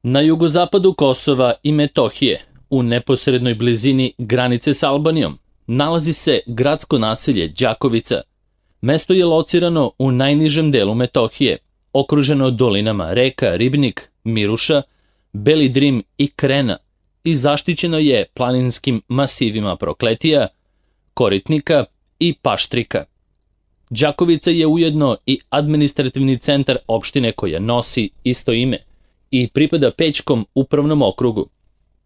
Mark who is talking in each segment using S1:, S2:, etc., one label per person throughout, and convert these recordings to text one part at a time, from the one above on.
S1: Na jugozapadu Kosova i Metohije, u neposrednoj blizini granice s Albanijom, nalazi se gradsko naselje Đakovica. Mesto je locirano u najnižem delu Metohije, okruženo dolinama reka Ribnik, Miruša, Beli Drim i Krena i zaštićeno je planinskim masivima Prokletija, Koritnika i Paštrika. Đakovica je ujedno i administrativni centar opštine koja nosi isto ime i pripada Pećkom upravnom okrugu.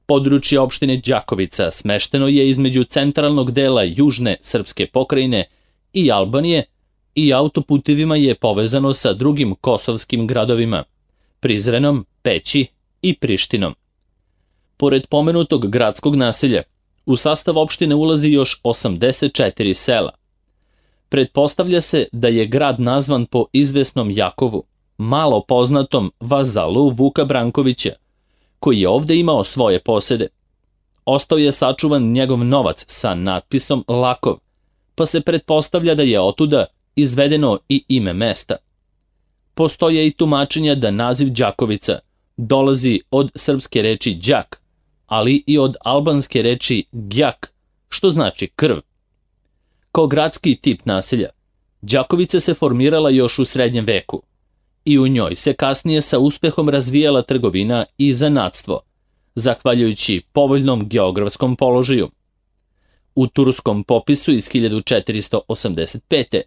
S1: Područje opštine Đakovica smešteno je između centralnog dela južne srpske pokrajine i Albanije i autoputevima je povezano sa drugim kosovskim gradovima, Prizrenom, Peći i Prištinom. Pored pomenutog gradskog naselja, u sastav opštine ulazi još 84 sela. Pretpostavlja se da je grad nazvan po izvesnom Jakovu, malo poznatom vazalu Vuka Brankovića, koji je ovde imao svoje posede. Ostao je sačuvan njegov novac sa natpisom Lakov, pa se pretpostavlja da je otuda izvedeno i ime mesta. Postoje i tumačenja da naziv Đakovica dolazi od srpske reči đak, ali i od albanske reči gjak, što znači krv. Kao gradski tip naselja, Đakovica se formirala još u srednjem veku i u njoj se kasnije sa uspehom razvijala trgovina i zanatstvo, zahvaljujući povoljnom geografskom položaju. U turskom popisu iz 1485.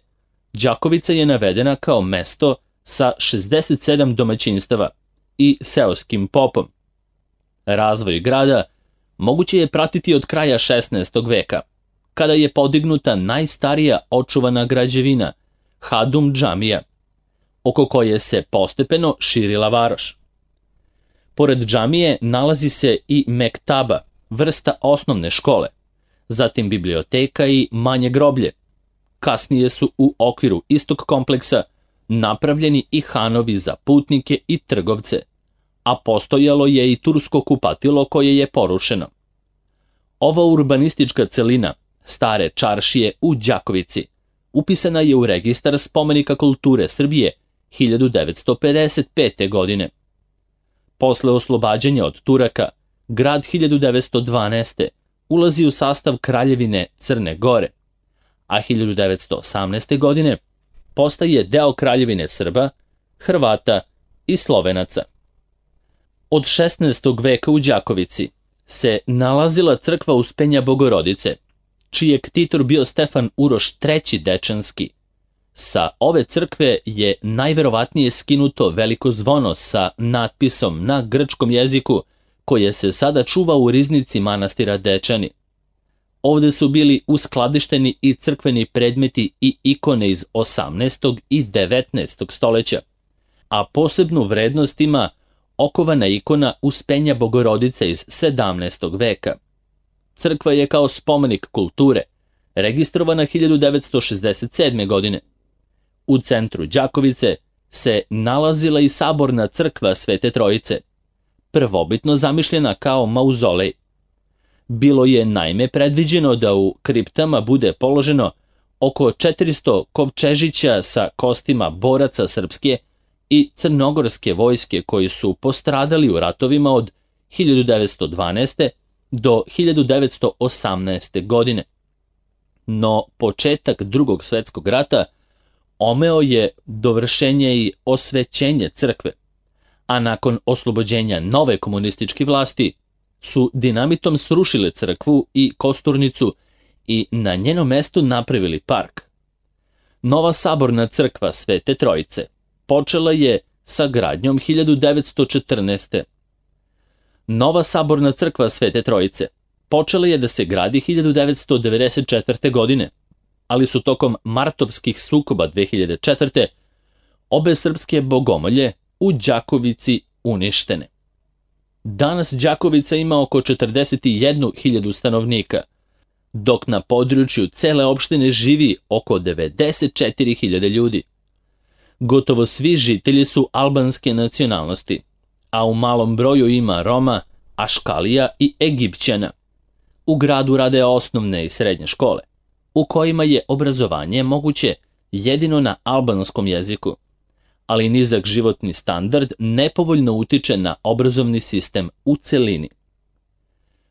S1: Đakovica je navedena kao mesto sa 67 domaćinstava i seoskim popom. Razvoj grada moguće je pratiti od kraja 16. veka, kada je podignuta najstarija očuvana građevina, Hadum džamija, oko koje se postepeno širila varoš. Pored džamije nalazi se i mektaba, vrsta osnovne škole, zatim biblioteka i manje groblje. Kasnije su u okviru istog kompleksa napravljeni i hanovi za putnike i trgovce, a postojalo je i tursko kupatilo koje je porušeno. Ova urbanistička celina stare čaršije u Đakovici upisana je u registar spomenika kulture Srbije 1955. godine. Posle oslobađanja od Turaka, grad 1912. ulazi u sastav Kraljevine Crne Gore, a 1918. godine postaje deo Kraljevine Srba, Hrvata i Slovenaca. Od 16. veka u Đakovici se nalazila crkva Uspenja Bogorodice, čiji je ktitor bio Stefan Uroš III. Dečanski. Sa ove crkve je najverovatnije skinuto veliko zvono sa natpisom na grčkom jeziku koje se sada čuva u riznici manastira Dečani. Ovde su bili uskladišteni i crkveni predmeti i ikone iz 18. i 19. stoleća, a posebnu vrednost ima okovana ikona Uspenja Bogorodice iz 17. veka. Crkva je kao spomenik kulture registrovana 1967. godine. U centru Đakovice se nalazila i saborna crkva Svete Trojice, prvobitno zamišljena kao mauzolej. Bilo je naime predviđeno da u kriptama bude položeno oko 400 kovčežića sa kostima boraca srpske i crnogorske vojske koji su postradali u ratovima od 1912. do 1918. godine. No početak Drugog svetskog rata omeo je dovršenje i osvećenje crkve, a nakon oslobođenja nove komunističke vlasti su dinamitom srušile crkvu i kosturnicu i na njeno mesto napravili park. Nova saborna crkva Svete Trojice počela je sa gradnjom 1914. Nova saborna crkva Svete Trojice počela je da se gradi 1994. godine, ali su tokom martovskih sukoba 2004. obe srpske bogomolje u Đakovici uništene. Danas Đakovica ima oko 41.000 stanovnika, dok na području cele opštine živi oko 94.000 ljudi. Gotovo svi žitelji su albanske nacionalnosti, a u malom broju ima Roma, Aškalija i Egipćana. U gradu rade osnovne i srednje škole, u kojima je obrazovanje moguće jedino na albanskom jeziku, ali nizak životni standard nepovoljno utiče na obrazovni sistem u celini.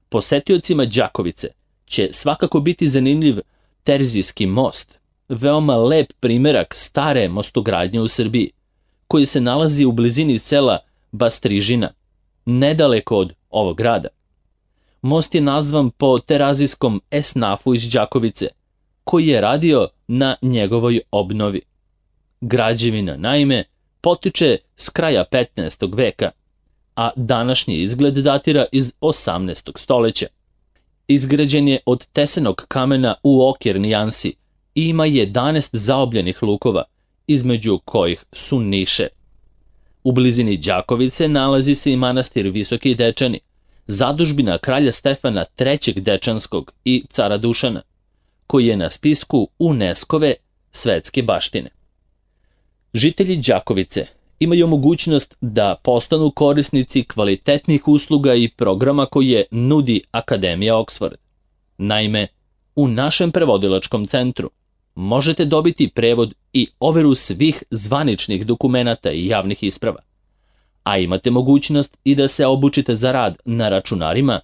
S1: Posetiocima Đakovice će svakako biti zanimljiv Terzijski most, veoma lep primerak stare mostogradnje u Srbiji, koji se nalazi u blizini sela Bastrižina, nedaleko od ovog grada. Most je nazvan po terazijskom esnafu iz Đakovice, koji je radio na njegovoj obnovi. Građevina, naime, potiče s kraja 15. veka, a današnji izgled datira iz 18. stoleća. Izgrađen je od tesenog kamena u oker nijansi i ima 11 zaobljenih lukova, između kojih su niše. U blizini Đakovice nalazi se i manastir Visoki Dečani, zadužbina kralja Stefana III. Dečanskog i cara Dušana, koji je na spisku UNESCO-ve svetske baštine. Žitelji Đakovice imaju mogućnost da postanu korisnici kvalitetnih usluga i programa koje nudi Akademija Oxford. Naime, u našem prevodilačkom centru možete dobiti prevod i overu svih zvaničnih dokumenata i javnih isprava, a imate mogućnost i da se obučite za rad na računarima,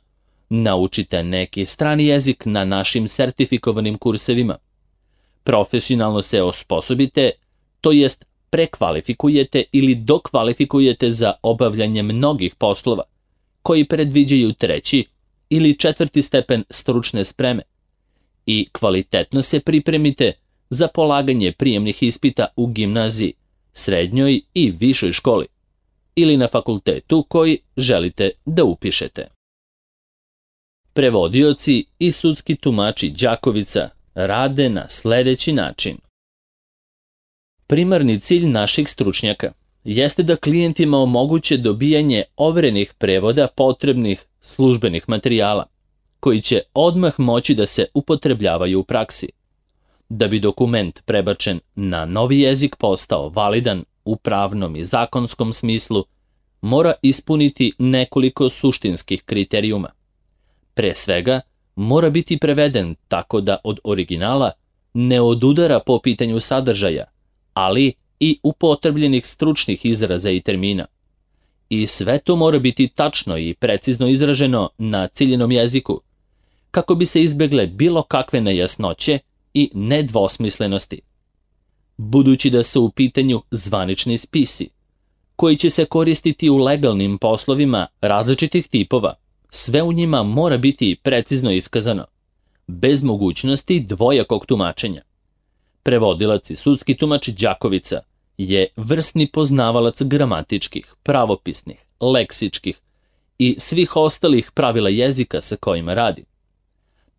S1: naučite neki strani jezik na našim sertifikovanim kursevima, profesionalno se osposobite, to jest prekvalifikujete ili dokvalifikujete za obavljanje mnogih poslova, koji predviđaju 3. ili 4. stepen stručne spreme, i kvalitetno se pripremite za polaganje prijemnih ispita u gimnaziji, srednjoj i višoj školi, ili na fakultetu koji želite da upišete. Prevodioci i sudski tumači Đakovica rade na sledeći način. Primarni cilj naših stručnjaka jeste da klijentima omoguće dobijanje overenih prevoda potrebnih službenih materijala, koji će odmah moći da se upotrebljavaju u praksi. Da bi dokument prebačen na novi jezik postao validan u pravnom i zakonskom smislu, mora ispuniti nekoliko suštinskih kriterijuma. Pre svega, mora biti preveden tako da od originala ne odudara po pitanju sadržaja, ali i upotrebljenih stručnih izraza i termina. I sve to mora biti tačno i precizno izraženo na ciljenom jeziku, kako bi se izbegle bilo kakve nejasnoće i nedvosmislenosti. Budući da su u pitanju zvanični spisi, koji će se koristiti u legalnim poslovima različitih tipova, sve u njima mora biti precizno iskazano, bez mogućnosti dvojakog tumačenja. Prevodilac i sudski tumač Đakovica je vrsni poznavalac gramatičkih, pravopisnih, leksičkih i svih ostalih pravila jezika sa kojima radi.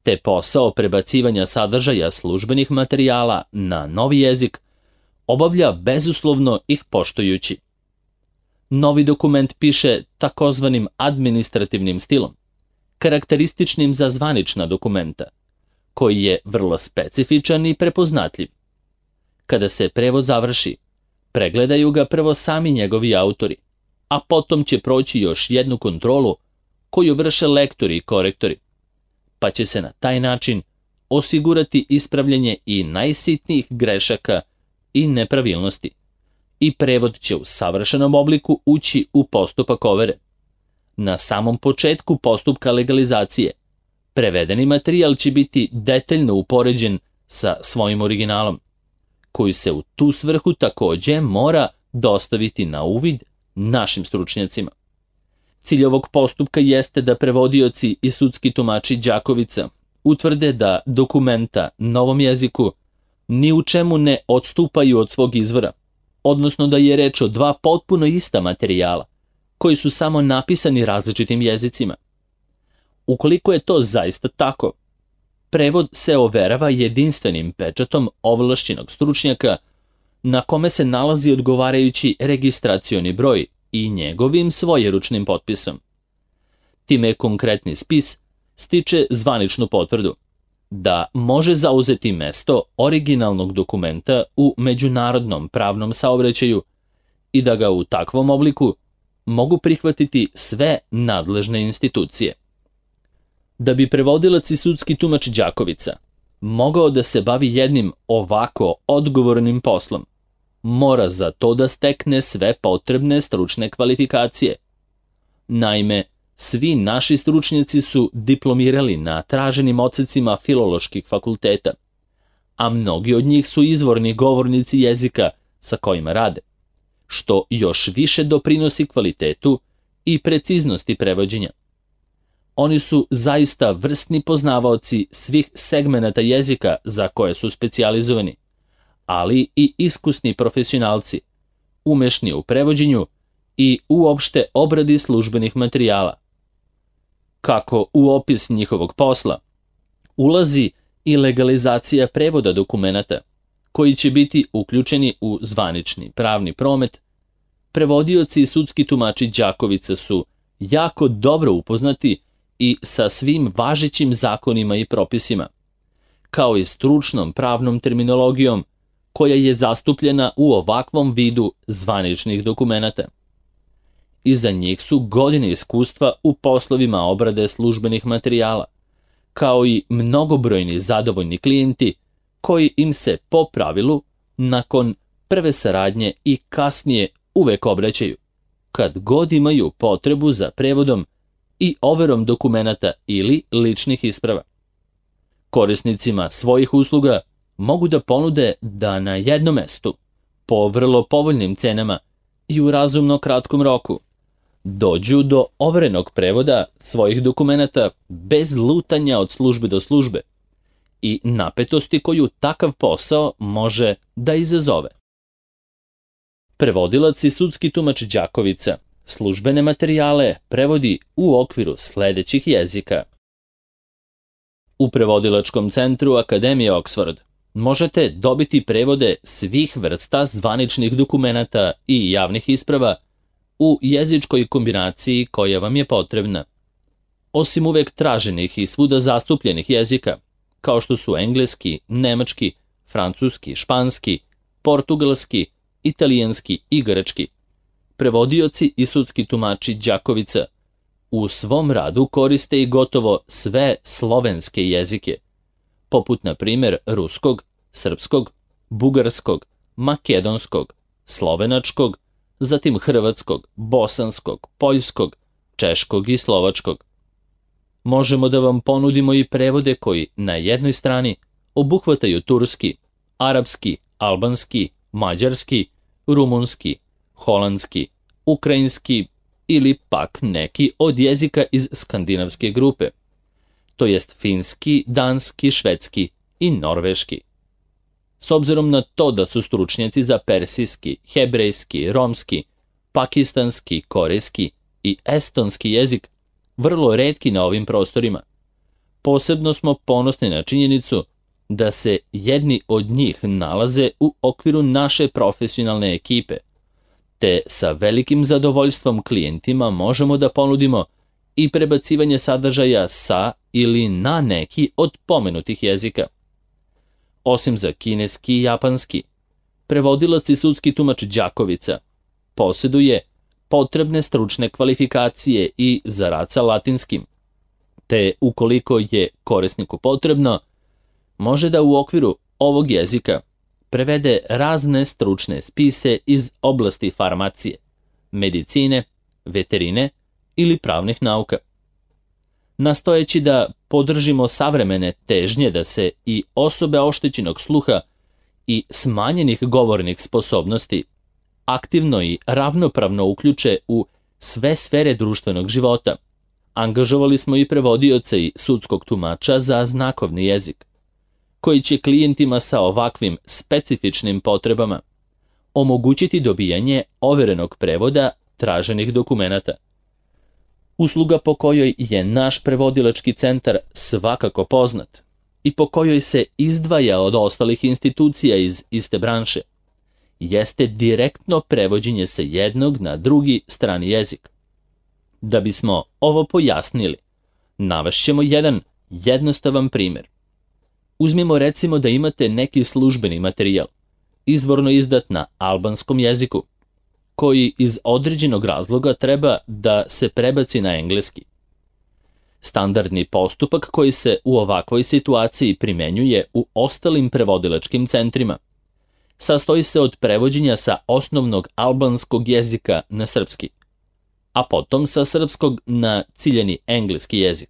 S1: Te posao prebacivanja sadržaja službenih materijala na novi jezik obavlja bezuslovno ih poštujući. Novi dokument piše takozvanim administrativnim stilom, karakterističnim za zvanična dokumenta, koji je vrlo specifičan i prepoznatljiv. Kada se prevod završi, pregledaju ga prvo sami njegovi autori, a potom će proći još jednu kontrolu koju vrše lektori i korektori, pa će se na taj način osigurati ispravljanje i najsitnijih grešaka i nepravilnosti, i prevod će u savršenom obliku ući u postupak overe. Na samom početku postupka legalizacije, prevedeni materijal će biti detaljno upoređen sa svojim originalom, koji se u tu svrhu takođe mora dostaviti na uvid našim stručnjacima. Cilj ovog postupka jeste da prevodioci i sudski tumači Đakovica utvrde da dokumenta novom jeziku ni u čemu ne odstupaju od svog izvora, odnosno da je reč o dva potpuno ista materijala, koji su samo napisani različitim jezicima. Ukoliko je to zaista tako, prevod se overava jedinstvenim pečatom ovlašćenog stručnjaka na kome se nalazi odgovarajući registracioni broj i njegovim svojeručnim potpisom. Time konkretni spis stiče zvaničnu potvrdu da može zauzeti mesto originalnog dokumenta u međunarodnom pravnom saobraćaju i da ga u takvom obliku mogu prihvatiti sve nadležne institucije. Da bi prevodilac i sudski tumač Đakovica mogao da se bavi jednim ovako odgovornim poslom, mora za to da stekne sve potrebne stručne kvalifikacije. Naime, svi naši stručnjaci su diplomirali na traženim odsecima filoloških fakulteta, a mnogi od njih su izvorni govornici jezika sa kojima rade, što još više doprinosi kvalitetu i preciznosti prevođenja. Oni su zaista vrsni poznavaoci svih segmenata jezika za koje su specijalizovani, ali i iskusni profesionalci, umešni u prevođenju i uopšte obradi službenih materijala. Kako u opis njihovog posla ulazi i legalizacija prevoda dokumenata, koji će biti uključeni u zvanični pravni promet, prevodioci i sudski tumači Đakovica su jako dobro upoznati i sa svim važećim zakonima i propisima, kao i stručnom pravnom terminologijom koja je zastupljena u ovakvom vidu zvaničnih dokumenata. Iza njih su godine iskustva u poslovima obrade službenih materijala, kao i mnogobrojni zadovoljni klijenti koji im se po pravilu nakon prve saradnje i kasnije uvek obraćaju, kad god imaju potrebu za prevodom i overom dokumenata ili ličnih isprava. Korisnicima svojih usluga mogu da ponude da na jednom mestu, po vrlo povoljnim cenama i u razumno kratkom roku, dođu do overenog prevoda svojih dokumenata bez lutanja od službe do službe i napetosti koju takav posao može da izazove. Prevodilac i sudski tumač Đakovica službene materijale prevodi u okviru sledećih jezika. U Prevodilačkom centru Akademije Oxford možete dobiti prevode svih vrsta zvaničnih dokumenata i javnih isprava u jezičkoj kombinaciji koja vam je potrebna. Osim uvek traženih i svuda zastupljenih jezika, kao što su engleski, nemački, francuski, španski, portugalski, italijanski i grčki, prevodioci i sudski tumači Đakovica u svom radu koriste i gotovo sve slovenske jezike, poput na primjer ruskog, srpskog, bugarskog, makedonskog, slovenačkog, zatim hrvatskog, bosanskog, poljskog, češkog i slovačkog. Možemo da vam ponudimo i prevode koji na jednoj strani obuhvataju turski, arapski, albanski, mađarski, rumunski, holandski, ukrajinski ili pak neki od jezika iz skandinavske grupe, to jest finski, danski, švedski i norveški. S obzirom na to da su stručnjaci za persijski, hebrejski, romski, pakistanski, korejski i estonski jezik vrlo retki na ovim prostorima, posebno smo ponosni na činjenicu da se jedni od njih nalaze u okviru naše profesionalne ekipe, te sa velikim zadovoljstvom klijentima možemo da ponudimo i prebacivanje sadržaja sa ili na neki od pomenutih jezika. Osim za kineski i japanski, prevodilac i sudski tumač Đakovica posjeduje potrebne stručne kvalifikacije i za rad sa latinskim, te ukoliko je korisniku potrebno, može da u okviru ovog jezika prevede razne stručne spise iz oblasti farmacije, medicine, veterine ili pravnih nauka. Nastojeći da podržimo savremene težnje da se i osobe oštećenog sluha i smanjenih govornih sposobnosti aktivno i ravnopravno uključe u sve sfere društvenog života, angažovali smo i prevodioca i sudskog tumača za znakovni jezik, koji će klijentima sa ovakvim specifičnim potrebama omogućiti dobijanje overenog prevoda traženih dokumenata. Usluga po kojoj je naš prevodilački centar svakako poznat i po kojoj se izdvaja od ostalih institucija iz iste branše, jeste direktno prevođenje sa jednog na drugi strani jezik. Da bismo ovo pojasnili, navešćemo jedan jednostavan primjer. Uzmimo recimo da imate neki službeni materijal, izvorno izdat na albanskom jeziku, koji iz određenog razloga treba da se prebaci na engleski. Standardni postupak koji se u ovakvoj situaciji primenjuje u ostalim prevodilačkim centrima sastoji se od prevođenja sa osnovnog albanskog jezika na srpski, a potom sa srpskog na ciljani engleski jezik.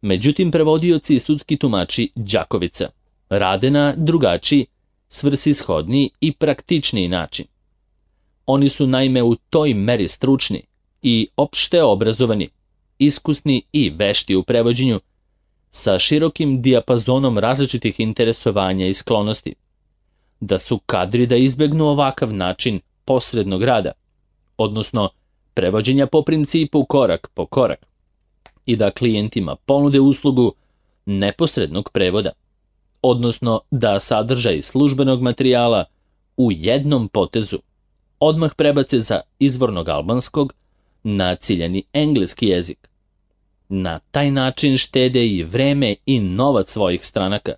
S1: Međutim, prevodioci i sudski tumači Đakovica rade na drugačiji, svrsishodniji i praktičniji način. Oni su naime u toj meri stručni i opšte obrazovani, iskusni i vešti u prevođenju, sa širokim dijapazonom različitih interesovanja i sklonosti, da su kadri da izbegnu ovakav način posrednog rada, odnosno prevođenja po principu korak po korak, i da klijentima ponude uslugu neposrednog prevoda, odnosno da sadržaj službenog materijala u jednom potezu odmah prebace za izvornog albanskog na ciljani engleski jezik. Na taj način štede i vreme i novac svojih stranaka,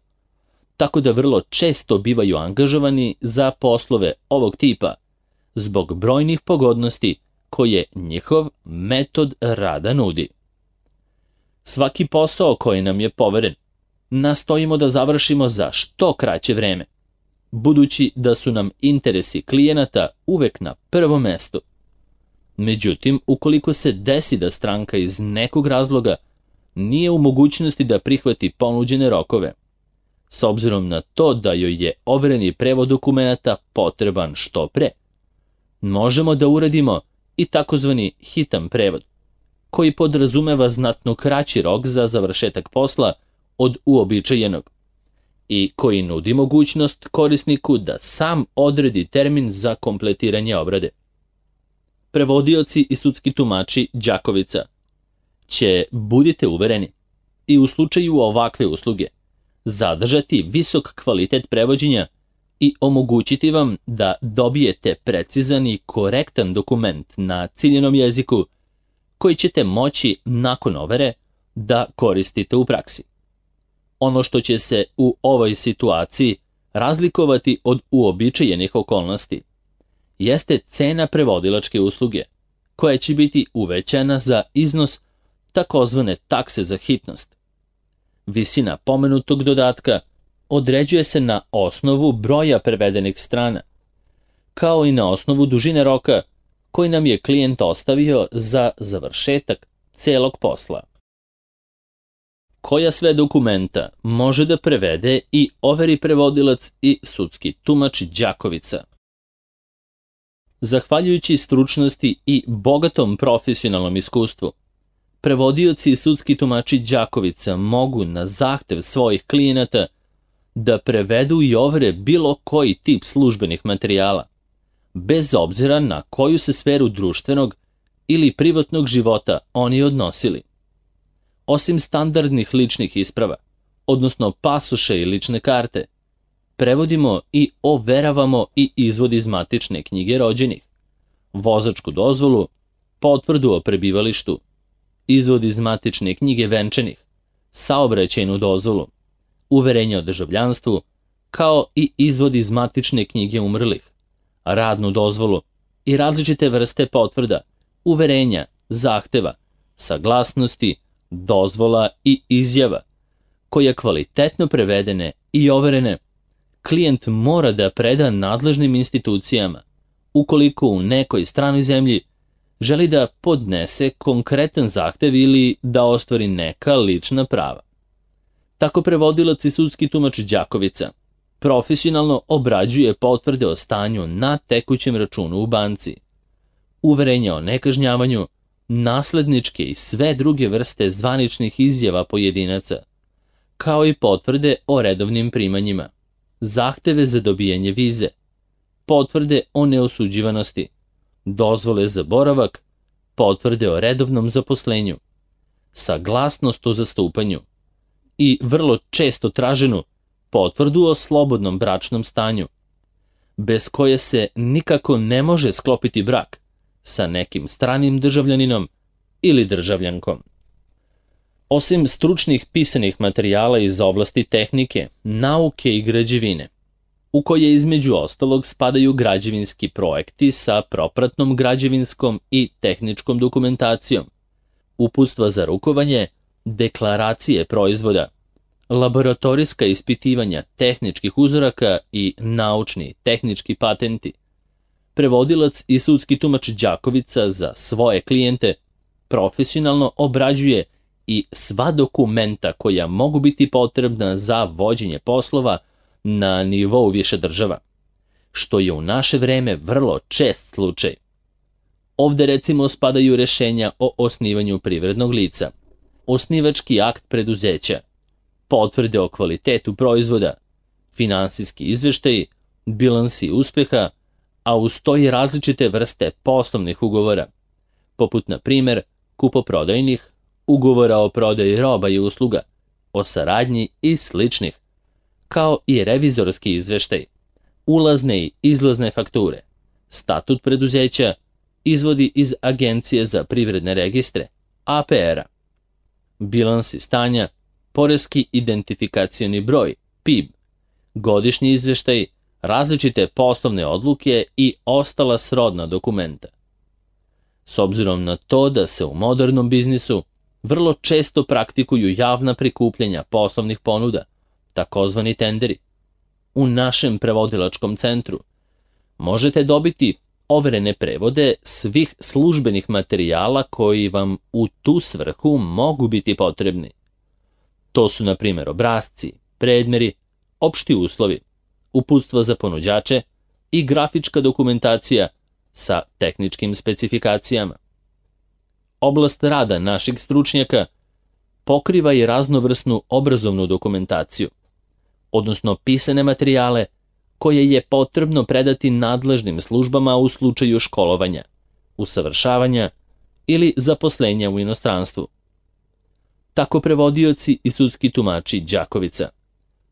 S1: tako da vrlo često bivaju angažovani za poslove ovog tipa zbog brojnih pogodnosti koje njihov metod rada nudi. Svaki posao koji nam je poveren nastojimo da završimo za što kraće vreme, budući da su nam interesi klijenata uvek na prvom mestu. Međutim, ukoliko se desi da stranka iz nekog razloga nije u mogućnosti da prihvati ponuđene rokove, s obzirom na to da joj je overeni prevod dokumenata potreban što pre, možemo da uradimo i takozvani hitan prevod, koji podrazumeva znatno kraći rok za završetak posla od uobičajenog i koji nudi mogućnost korisniku da sam odredi termin za kompletiranje obrade. Prevodioci i sudski tumači Đakovica će, budite uvereni, i u slučaju ovakve usluge zadržati visok kvalitet prevođenja i omogućiti vam da dobijete precizan i korektan dokument na ciljenom jeziku koji ćete moći nakon overe da koristite u praksi. Ono što će se u ovoj situaciji razlikovati od uobičajenih okolnosti jeste cena prevodilačke usluge, koja će biti uvećana za iznos takozvane takse za hitnost. Visina pomenutog dodatka određuje se na osnovu broja prevedenih strana, kao i na osnovu dužine roka koji nam je klijent ostavio za završetak celog posla. Koja sve dokumenta može da prevede i overi prevodilac i sudski tumač Đakovica? Zahvaljujući stručnosti i bogatom profesionalnom iskustvu, prevodioci i sudski tumači Đakovica mogu na zahtev svojih klijenata da prevedu i overe bilo koji tip službenih materijala, bez obzira na koju se sferu društvenog ili privatnog života oni odnosili. Osim standardnih ličnih isprava, odnosno pasoše i lične karte, prevodimo i overavamo i izvod iz matične knjige rođenih, vozačku dozvolu, potvrdu o prebivalištu, izvod iz matične knjige venčanih, saobraćajnu dozvolu, uverenje o državljanstvu, kao i izvod iz matične knjige umrlih, radnu dozvolu i različite vrste potvrda, uverenja, zahteva, saglasnosti, dozvola i izjava, koje kvalitetno prevedene i overene, klijent mora da preda nadležnim institucijama ukoliko u nekoj stranoj zemlji želi da podnese konkretan zahtev ili da ostvari neka lična prava. Tako prevodilac i sudski tumač Đakovica profesionalno obrađuje potvrde o stanju na tekućem računu u banci, uverenja o nekažnjavanju, nasledničke i sve druge vrste zvaničnih izjava pojedinaca, kao i potvrde o redovnim primanjima, zahteve za dobijanje vize, potvrde o neosuđivanosti, dozvole za boravak, potvrde o redovnom zaposlenju, saglasnost o zastupanju i vrlo često traženu potvrdu o slobodnom bračnom stanju, bez koje se nikako ne može sklopiti brak sa nekim stranim državljaninom ili državljankom. Osim stručnih pisanih materijala iz oblasti tehnike, nauke i građevine, u koje između ostalog spadaju građevinski projekti sa propratnom građevinskom i tehničkom dokumentacijom, uputstva za rukovanje, deklaracije proizvoda, laboratorijska ispitivanja tehničkih uzoraka i naučni tehnički patenti. Prevodilac i sudski tumač Đakovica za svoje klijente profesionalno obrađuje i sva dokumenta koja mogu biti potrebna za vođenje poslova na nivou više država, što je u naše vreme vrlo čest slučaj. Ovde recimo spadaju rešenja o osnivanju privrednog lica, osnivački akt preduzeća, potvrde o kvalitetu proizvoda, finansijski izveštaji, bilansi uspeha, a uz to i različite vrste poslovnih ugovora, poput na primer kupoprodajnih, ugovora o prodaji roba i usluga, o saradnji i sličnih, kao i revizorski izveštaj, ulazne i izlazne fakture, statut preduzeća, izvodi iz Agencije za privredne registre, APR-a, bilansi stanja, poreski identifikacioni broj, PIB, godišnji izveštaj, različite poslovne odluke i ostala srodna dokumenta. S obzirom na to da se u modernom biznisu vrlo često praktikuju javna prikupljanja poslovnih ponuda, takozvani tenderi, u našem prevodilačkom centru možete dobiti overene prevode svih službenih materijala koji vam u tu svrhu mogu biti potrebni. To su, na primjer, obrasci, predmeri, opšti uslovi, uputstva za ponuđače i grafička dokumentacija sa tehničkim specifikacijama. Oblast rada naših stručnjaka pokriva i raznovrsnu obrazovnu dokumentaciju, odnosno pisane materijale koje je potrebno predati nadležnim službama u slučaju školovanja, usavršavanja ili zaposlenja u inostranstvu. Tako prevodioci i sudski tumači Đakovica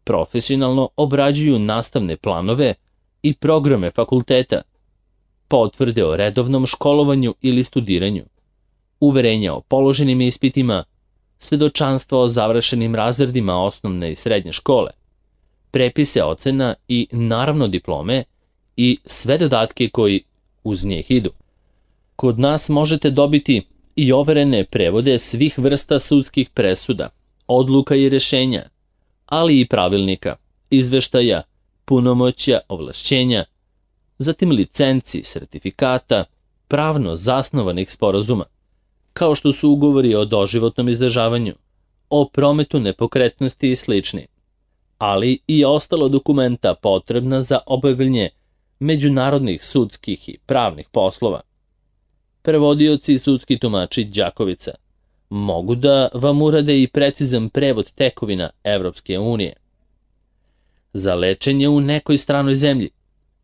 S1: profesionalno obrađuju nastavne planove i programe fakulteta, potvrde o redovnom školovanju ili studiranju, uverenja o položenim ispitima, svedočanstva o završenim razredima osnovne i srednje škole, prepise ocena i naravno diplome i sve dodatke koji uz njih idu. Kod nas možete dobiti i overene prevode svih vrsta sudskih presuda, odluka i rešenja, ali i pravilnika, izveštaja, punomoćja, ovlašćenja, zatim licenci, sertifikata, pravno zasnovanih sporazuma, kao što su ugovori o doživotnom izdržavanju, o prometu nepokretnosti i slični, ali i ostalo dokumenta potrebna za obavljanje međunarodnih sudskih i pravnih poslova. Prevodioci i sudski tumači Đakovica mogu da vam urade i precizan prevod tekovina Evropske unije. Za lečenje u nekoj stranoj zemlji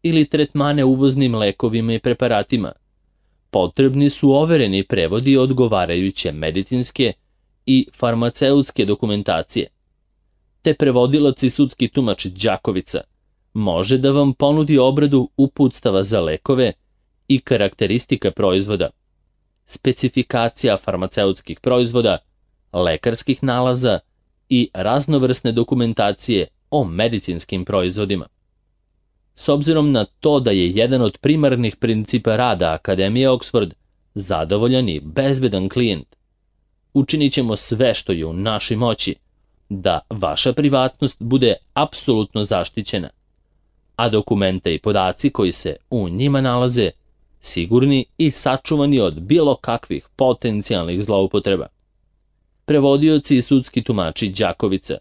S1: ili tretmane uvoznim lekovima i preparatima potrebni su overeni prevodi odgovarajuće medicinske i farmaceutske dokumentacije. Te prevodilac i sudski tumač Đakovica može da vam ponudi obradu uputstava za lekove i karakteristika proizvoda, specifikacija farmaceutskih proizvoda, lekarskih nalaza i raznovrsne dokumentacije o medicinskim proizvodima. S obzirom na to da je jedan od primarnih principa rada Akademije Oxford zadovoljan i bezbedan klijent, učinit ćemo sve što je u našoj moći da vaša privatnost bude apsolutno zaštićena, a dokumenta i podaci koji se u njima nalaze sigurni i sačuvani od bilo kakvih potencijalnih zloupotreba. Prevodioci i sudski tumači Đakovica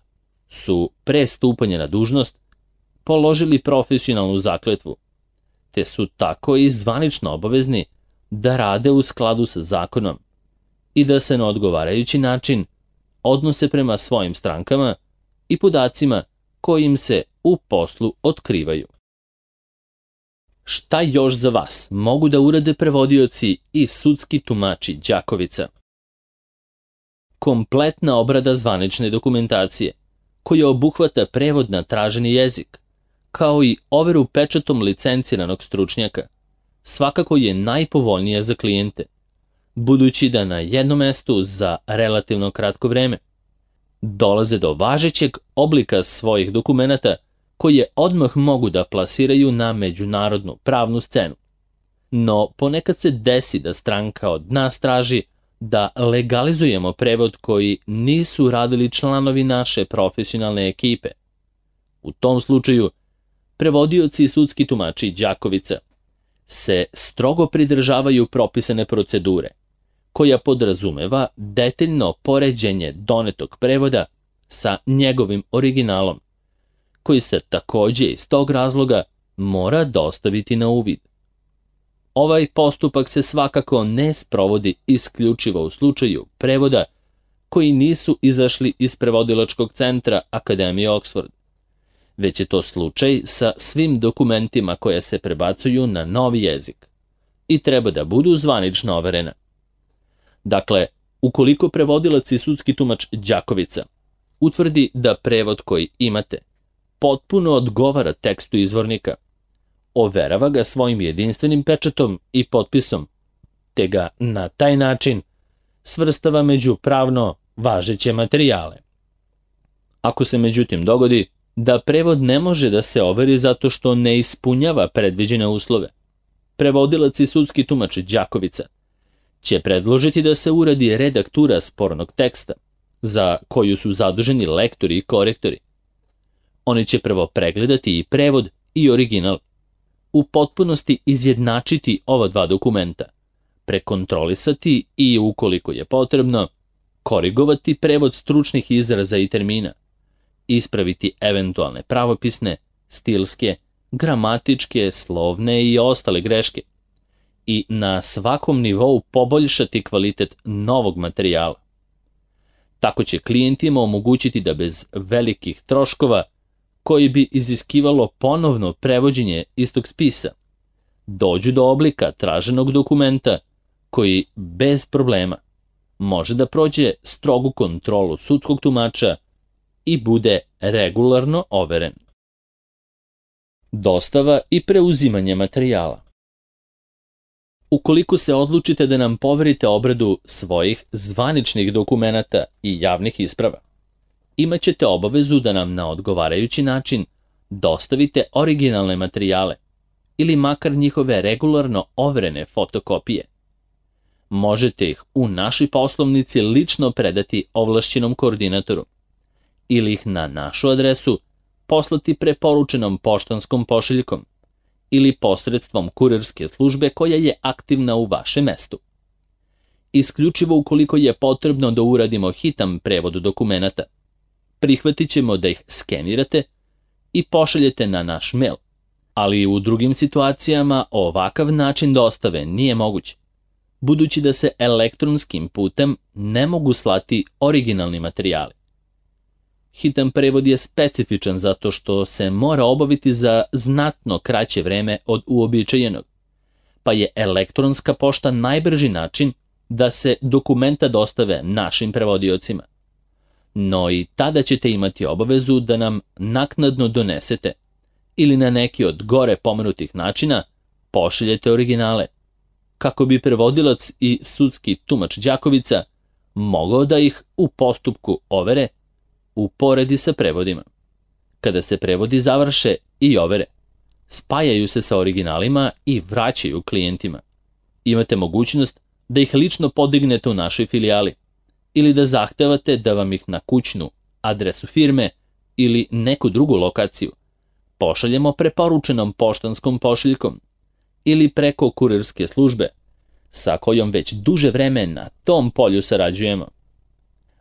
S1: su pre stupanja na dužnost položili profesionalnu zakletvu, te su tako i zvanično obavezni da rade u skladu sa zakonom i da se na odgovarajući način odnose prema svojim strankama i podacima koji im se u poslu otkrivaju. Šta još za vas mogu da urade prevodioci i sudski tumači Đakovica? Kompletna obrada zvanične dokumentacije, koja obuhvata prevod na traženi jezik, kao i overu pečatom licenciranog stručnjaka, svakako je najpovoljnija za klijente, budući da na jednom mestu za relativno kratko vreme dolaze do važećeg oblika svojih dokumenata koje odmah mogu da plasiraju na međunarodnu pravnu scenu. No, ponekad se desi da stranka od nas traži da legalizujemo prevod koji nisu radili članovi naše profesionalne ekipe. U tom slučaju, prevodioci i sudski tumači Đakovica se strogo pridržavaju propisane procedure, koja podrazumeva detaljno poređenje donetog prevoda sa njegovim originalom, koji se takođe iz tog razloga mora dostaviti na uvid. Ovaj postupak se svakako ne sprovodi isključivo u slučaju prevoda koji nisu izašli iz prevodilačkog centra Akademije Oxford, već je to slučaj sa svim dokumentima koje se prebacuju na novi jezik i treba da budu zvanično overena. Dakle, ukoliko prevodilac i sudski tumač Đakovica utvrdi da prevod koji imate potpuno odgovara tekstu izvornika, overava ga svojim jedinstvenim pečatom i potpisom, te ga na taj način svrstava među pravno važeće materijale. Ako se međutim dogodi da prevod ne može da se overi zato što ne ispunjava predviđene uslove, prevodilac i sudski tumač Đakovica će predložiti da se uradi redaktura spornog teksta, za koju su zaduženi lektori i korektori. Oni će prvo pregledati i prevod i original, u potpunosti izjednačiti ova dva dokumenta, prekontrolisati i, ukoliko je potrebno, korigovati prevod stručnih izraza i termina, ispraviti eventualne pravopisne, stilske, gramatičke, slovne i ostale greške i na svakom nivou poboljšati kvalitet novog materijala. Tako će klijentima omogućiti da bez velikih troškova, koji bi iziskivalo ponovno prevođenje istog spisa, dođu do oblika traženog dokumenta koji bez problema može da prođe strogu kontrolu sudskog tumača i bude regularno overen. Dostava i preuzimanje materijala. Ukoliko se odlučite da nam poverite obradu svojih zvaničnih dokumenata i javnih isprava, imaćete obavezu da nam na odgovarajući način dostavite originalne materijale ili makar njihove regularno overene fotokopije. Možete ih u našoj poslovnici lično predati ovlašćenom koordinatoru ili ih na našu adresu poslati preporučenom poštanskom pošiljkom ili posredstvom kurirske službe koja je aktivna u vašem mestu. Isključivo ukoliko je potrebno da uradimo hitan prevod dokumenata, prihvatit ćemo da ih skenirate i pošaljete na naš mail, ali u drugim situacijama ovakav način dostave nije moguć, budući da se elektronskim putem ne mogu slati originalni materijali. Hitan prevod je specifičan zato što se mora obaviti za znatno kraće vreme od uobičajenog, pa je elektronska pošta najbrži način da se dokumenta dostave našim prevodiocima. No i tada ćete imati obavezu da nam naknadno donesete ili na neki od gore pomenutih načina pošaljete originale, kako bi prevodilac i sudski tumač Đakovica mogao da ih u postupku overe uporedi sa prevodima. Kada se prevodi završe i overe, spajaju se sa originalima i vraćaju klijentima. Imate mogućnost da ih lično podignete u našoj filijali ili da zahtevate da vam ih na kućnu adresu firme ili neku drugu lokaciju pošaljemo preporučenom poštanskom pošiljkom ili preko kurirske službe sa kojom već duže vreme na tom polju sarađujemo.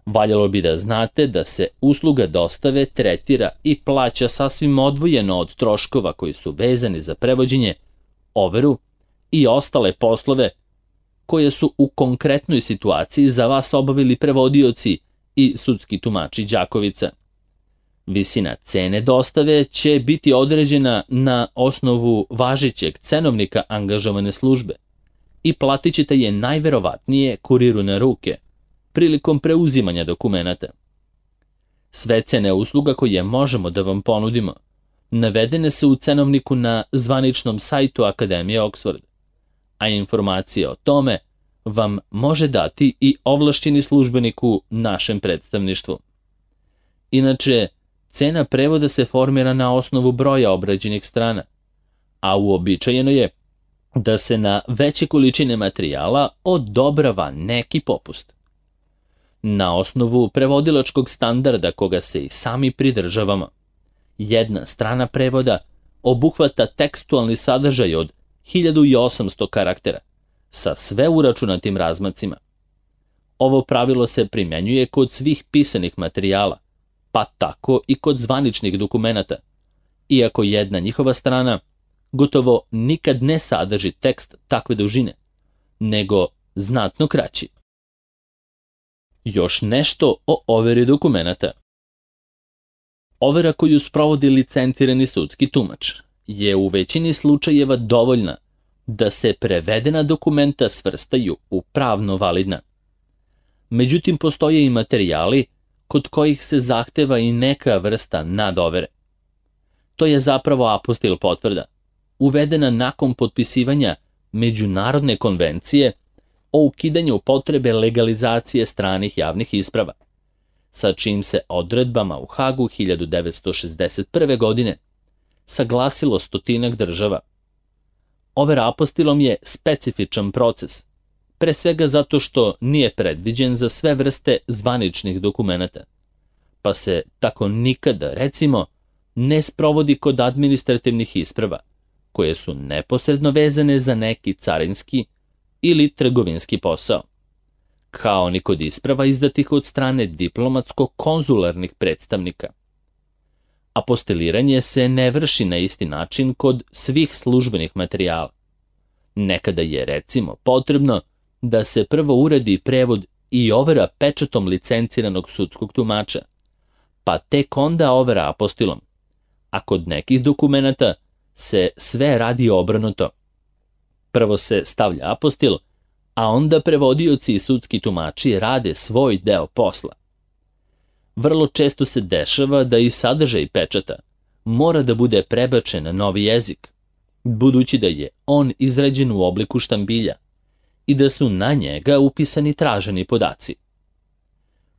S1: Valjalo bi da znate da se usluga dostave tretira i plaća sasvim odvojeno od troškova koji su vezani za prevođenje, overu i ostale poslove koje su u konkretnoj situaciji za vas obavili prevodioci i sudski tumači Đakovica. Visina cene dostave će biti određena na osnovu važećeg cenovnika angažovane službe i platit ćete je najverovatnije kuriru na ruke prilikom preuzimanja dokumenata. Sve cene usluga koje možemo da vam ponudimo navedene su u cenovniku na zvaničnom sajtu Akademije Oxford, a informacije o tome vam može dati i ovlašćeni službenik u našem predstavništvu. Inače, cena prevoda se formira na osnovu broja obrađenih strana, a uobičajeno je da se na veće količine materijala odobrava neki popust. Na osnovu prevodilačkog standarda koga se i sami pridržavamo, jedna strana prevoda obuhvata tekstualni sadržaj od 1800 karaktera sa sve uračunatim razmacima. Ovo pravilo se primjenjuje kod svih pisanih materijala, pa tako i kod zvaničnih dokumenata, iako jedna njihova strana gotovo nikad ne sadrži tekst takve dužine, nego znatno kraći. Još nešto o overi dokumenata. Overa koju sprovodi licencirani sudski tumač je u većini slučajeva dovoljna da se prevedena dokumenta svrstaju u pravno validna. Međutim, postoje i materijali kod kojih se zahteva i neka vrsta nadovere. To je zapravo apostil potvrda, uvedena nakon potpisivanja Međunarodne konvencije o ukidanju potrebe legalizacije stranih javnih isprava, sa čijim se odredbama u Hagu 1961. godine saglasilo stotinak država. Overa apostilom je specifičan proces, pre svega zato što nije predviđen za sve vrste zvaničnih dokumenata, pa se tako nikada, recimo, ne sprovodi kod administrativnih isprava, koje su neposredno vezane za neki carinski ili trgovinski posao, kao ni kod isprava izdatih od strane diplomatsko-konzularnih predstavnika. Apostiliranje se ne vrši na isti način kod svih službenih materijala. Nekada je, recimo, potrebno da se prvo uradi prevod i overa pečatom licenciranog sudskog tumača, pa tek onda overa apostilom, a kod nekih dokumenata se sve radi obrnuto. Prvo se stavlja apostil, a onda prevodioci i sudski tumači rade svoj deo posla. Vrlo često se dešava da i sadržaj pečata mora da bude prebačen na novi jezik, budući da je on izrađen u obliku štambilja i da su na njega upisani traženi podaci.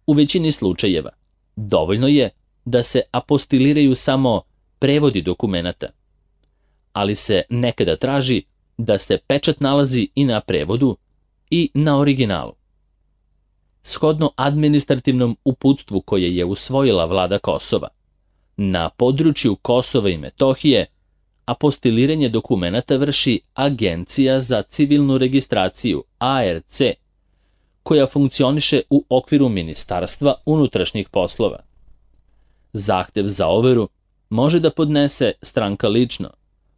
S1: U većini slučajeva dovoljno je da se apostiliraju samo prevodi dokumenata, ali se nekada traži da se pečat nalazi i na prevodu i na originalu. Shodno administrativnom uputstvu koje je usvojila vlada Kosova, na području Kosova i Metohije apostiliranje dokumenata vrši Agencija za civilnu registraciju ARC, koja funkcioniše u okviru Ministarstva unutrašnjih poslova. Zahtev za overu može da podnese stranka lično,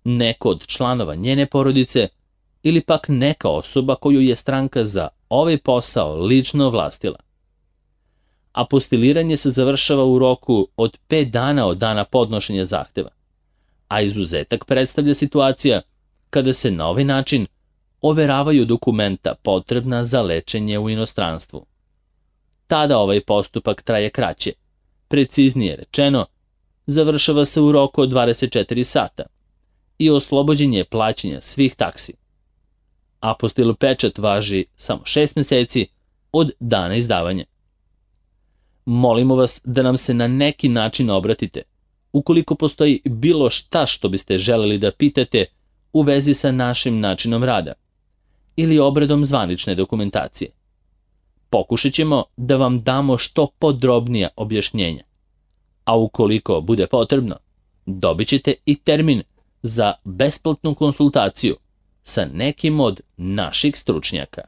S1: neko od članova njene porodice ili pak neka osoba koju je stranka za ovaj posao lično ovlastila. Apostiliranje se završava u roku od 5 dana od dana podnošenja zahteva, a izuzetak predstavlja situacija kada se na ovaj način overavaju dokumenta potrebna za lečenje u inostranstvu. Tada ovaj postupak traje kraće, preciznije rečeno, završava se u roku od 24 sata i oslobođen je plaćanja svih taksi. Apostil pečat važi samo 6 meseci od dana izdavanja. Molimo vas da nam se na neki način obratite, ukoliko postoji bilo šta što biste želeli da pitate u vezi sa našim načinom rada ili obradom zvanične dokumentacije. Pokušat ćemo da vam damo što podrobnija objašnjenja, a ukoliko bude potrebno, dobit ćete i termin za besplatnu konsultaciju sa nekim od naših stručnjaka.